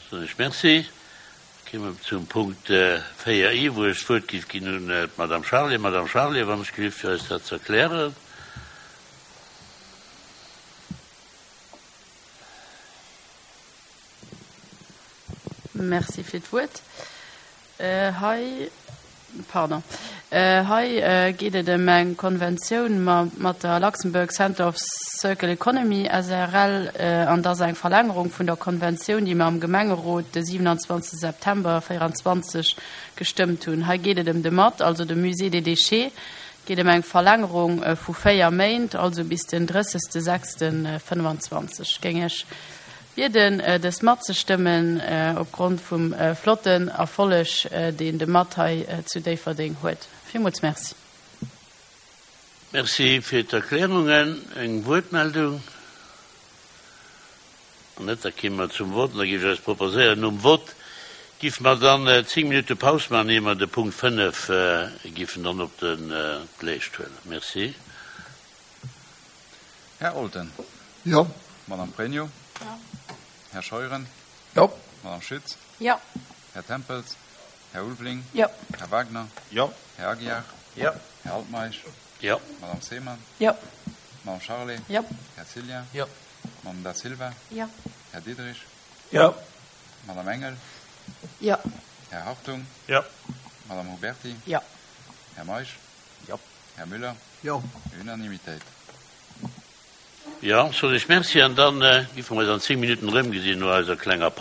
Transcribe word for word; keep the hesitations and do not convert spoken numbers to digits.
Soen ech Merci. Da kéime mer zum Punkt véier I, wou ech d'Wuert géif ginn un d'Madame Charlé. Madame Charlé, wann ech gelift, fir eis dat ze erklären. Merci fir d'Wuert. Hei, pardon, hei geet et ëm eng Konventioun mat der Luxembourg Center of Circular Economy S A R L an dat ass eng Verlängerung vun der Konventioun, déi mer am Gemengerot de siewenundzwanzegste September véierundzwanzeg gestëmmt hunn. Hei geet et ëm de M A D, also de Musée des Déchets, geet ëm eng Verlängerung vu véier Méint, also bis den drëssegste sechste fënnefanzwanzeg. Géing ech bieden, dës matzestëmmen opgrond vum flotten Erfolleg, deen de M A D hei zu Déifferdeng huet. Villmools merci. Merci fir d'Erklärungen. Eng Wuertmeldung? An net, da kommen wir zum Vot. Da gebe ich euch proposéieren, nom Vot gif mer dann zehn Minuten Pause machen, ehe mer de Punkt fënnef giffen dann op den Leescht huelen. Merci. Herr Olten. Ja. Madame Pregno. Ja. Herr Scheuren. Ja. Madame Schütz. Ja. Herr Tempels. Herr Ulveling. Ja. Herr Wagner. Ja. Herr Aguiar. Ja. Herr Altmaisch. Ja. Madame Seemann. Ja. Madame Charlé. Ja. Herr Cilien. Ja. Madame Da Silva. Ja. Herr Diederich. Ja. Madame Engel. Ja. Herr Hartung. Ja. Madame Huberti. Ja. Herr Meisch. Ja. Herr Müller. Ja. Unanimitéit. Ja, soll ich merci an dann, äh, gi vun eis an zehn Minuten rëm gesinn no eiser klenger Pause.